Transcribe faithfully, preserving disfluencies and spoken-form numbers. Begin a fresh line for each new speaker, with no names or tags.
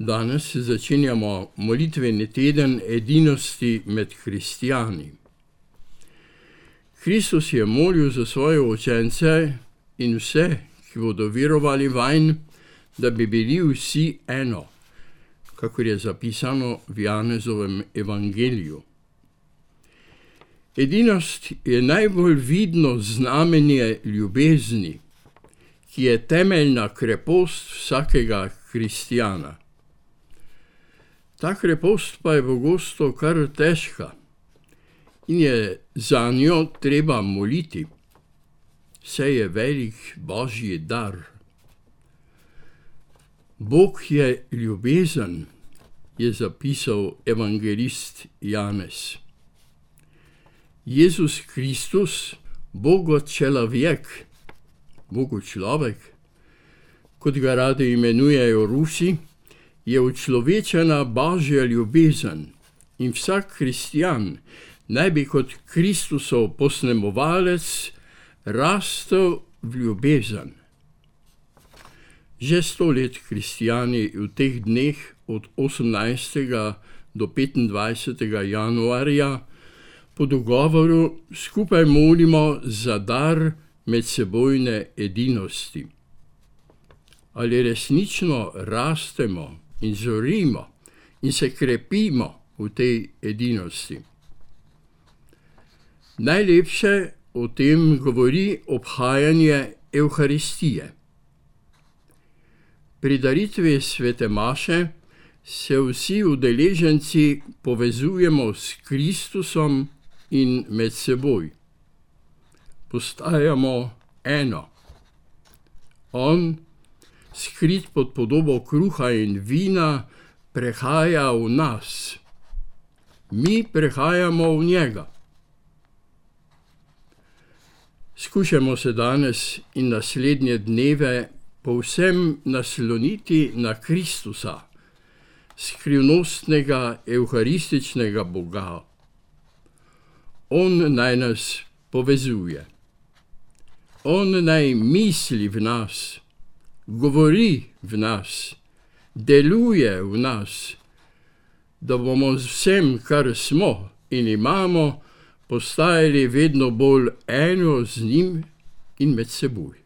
Danes začenjamo molitveni teden edinosti med kristijani. Kristus je molil za svoje učence in vse, ki bodo verovali vanj, da bi bili vsi eno, kakor je zapisano v Janezovem evangeliju. Edinost je najbolj vidno znamenje ljubezni, ki je temeljna krepost vsakega kristijana. Ta krepost pa je pogosto kar težka in je za njo treba moliti, saj je velik božji dar. Bog je ljubezen, je zapisal evangelist Janez. Jezus Kristus, Bogo človek, Bogu človek, kot ga radi imenujejo Rusi, je učlovečena božja ljubezen in vsak kristjan naj bi kot Kristusov posnemovalec rastel v ljubezen. Že sto let kristijani v teh dneh od osemnajstega do petindvajsetega januarja po dogovoru skupaj molimo za dar medsebojne edinosti. Ali resnično rastemo in zorimo in se krepimo v tej edinosti? Najlepše o tem govori obhajanje Evharistije. Pri daritvi svete maše se vsi udeleženci povezujemo s Kristusom in med seboj. Postajamo eno. On, skrit pod podobo kruha in vina, prehaja v nas. Mi prehajamo v njega. Skušamo se danes in naslednje dneve povsem nasloniti na Kristusa, skrivnostnega evharističnega Boga. On naj nas povezuje. On naj misli v nas, govori v nas, deluje v nas, da bomo z vsem, kar smo in imamo, postajali vedno bolj eno z njim in med seboj.